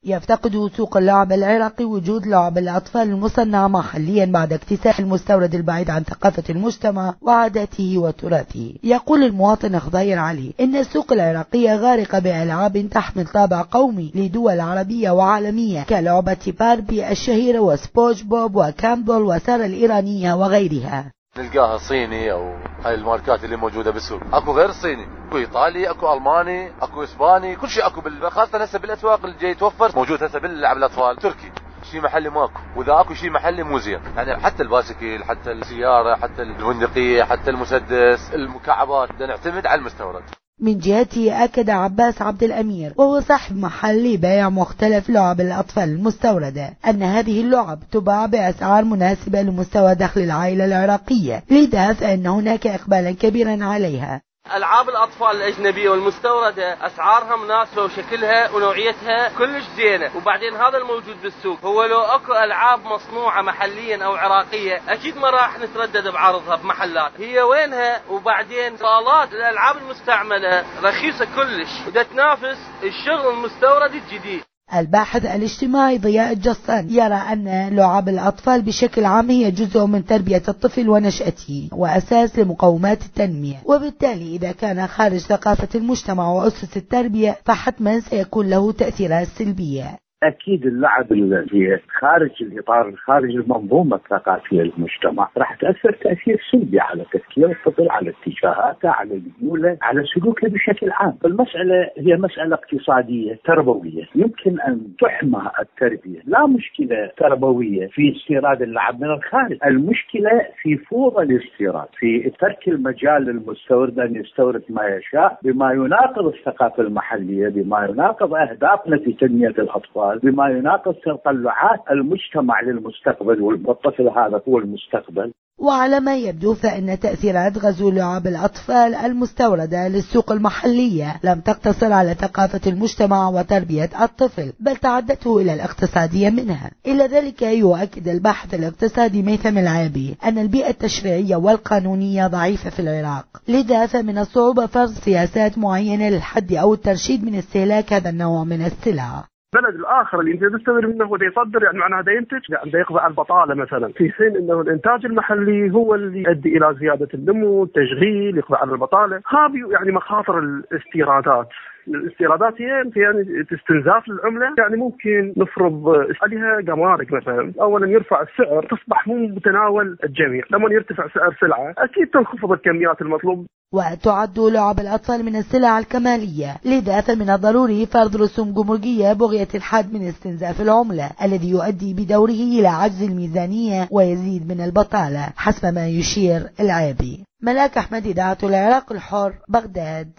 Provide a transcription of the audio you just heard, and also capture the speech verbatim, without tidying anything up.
يفتقد سوق اللعب العراقي وجود لعب الأطفال المصنعة محليا بعد اكتساح المستورد البعيد عن ثقافة المجتمع وعاداته وتراثه. يقول المواطن خضير علي إن السوق العراقية غارقة بألعاب تحمل طابع قومي لدول عربية وعالمية كلعبة باربي الشهيرة وسبونج بوب وكامبل وسارة الإيرانية وغيرها. نلقاها صيني او هاي الماركات اللي موجوده بالسوق، اكو غير صيني، اكو ايطالي، اكو الماني، اكو اسباني، كل شيء اكو بال... خاصه هسه بالاسواق اللي جاي يتوفر موجود هسه باللعب الاطفال تركي، شيء محلي ماكو، واذا اكو شيء محلي مو زين، يعني حتى الباسكيل، حتى السياره، حتى البندقيه، حتى المسدس، المكعبات، بدنا نعتمد على المستورد. من جهته أكد عباس عبد الأمير وهو صاحب محل لبيع مختلف لعب الأطفال المستوردة أن هذه اللعب تباع بأسعار مناسبة لمستوى دخل العائلة العراقية، لذا فإن هناك إقبالا كبيرا عليها. ألعاب الأطفال الأجنبية والمستوردة أسعارها مناسبة وشكلها ونوعيتها كلش زينة، وبعدين هذا الموجود بالسوق هو لو أكو ألعاب مصنوعة محليا أو عراقية أكيد ما راح نتردد بعرضها بمحلات، هي وينها؟ وبعدين صالات الألعاب المستعملة رخيصة كلش ودا تنافس الشغل المستورد الجديد. الباحث الاجتماعي ضياء الجصان يرى أن لعب الأطفال بشكل عام هي جزء من تربية الطفل ونشأته وأساس لمقومات التنمية، وبالتالي إذا كان خارج ثقافة المجتمع وأسس التربية فحتما سيكون له تأثيرات سلبية. أكيد اللعب اللي خارج الإطار خارج المنظومة الثقافية للمجتمع راح تأثر تأثير سلبي على تفكير الطفل، على اتجاهاته، على ميوله، على سلوكه بشكل عام. المسألة هي مسألة اقتصادية تربوية، يمكن أن تحمى التربية، لا مشكلة تربوية في استيراد اللعب من الخارج، المشكلة في فوضى الاستيراد، في ترك المجال للمستورد أن يستورد ما يشاء بما يناقض الثقافة المحلية، بما يناقض أهدافنا في تنمية الأطفال، بما يناقض تطلعات المجتمع للمستقبل، والطفل هذا هو المستقبل. وعلى ما يبدو فإن تأثيرات غزو لعب الأطفال المستوردة للسوق المحلية لم تقتصر على ثقافة المجتمع وتربية الطفل، بل تعدته إلى الاقتصادية منها. إلى ذلك يؤكد الباحث الاقتصادي ميثم العابي أن البيئة التشريعية والقانونية ضعيفة في العراق، لذا فمن الصعوبة فرض سياسات معينة للحد أو الترشيد من استهلاك هذا النوع من السلع. البلد الاخر اللي انت تستورد منه هو يصدر، يعني معناها ده ينتج، يعني ده يقضي على البطاله مثلا، في حين انه الانتاج المحلي هو اللي يؤدي الى زياده النمو، التشغيل، يقضي على البطاله. هذه يعني مخاطر الاستيرادات. الاستيرادات هي يعني استنزاف للعمله، يعني ممكن نفرض عليها جمارك مثلا، اولا يرفع السعر تصبح مو متناول الجميع، لما يرتفع سعر سلعه اكيد تنخفض الكميات المطلوب. وتعد لعب الأطفال من السلع الكمالية، لذا فمن الضروري فرض رسوم جمركية بغية الحد من استنزاف العملة الذي يؤدي بدوره إلى عجز الميزانية ويزيد من البطالة حسب ما يشير العابي. ملاك أحمد، إذاعة العراق الحر، بغداد.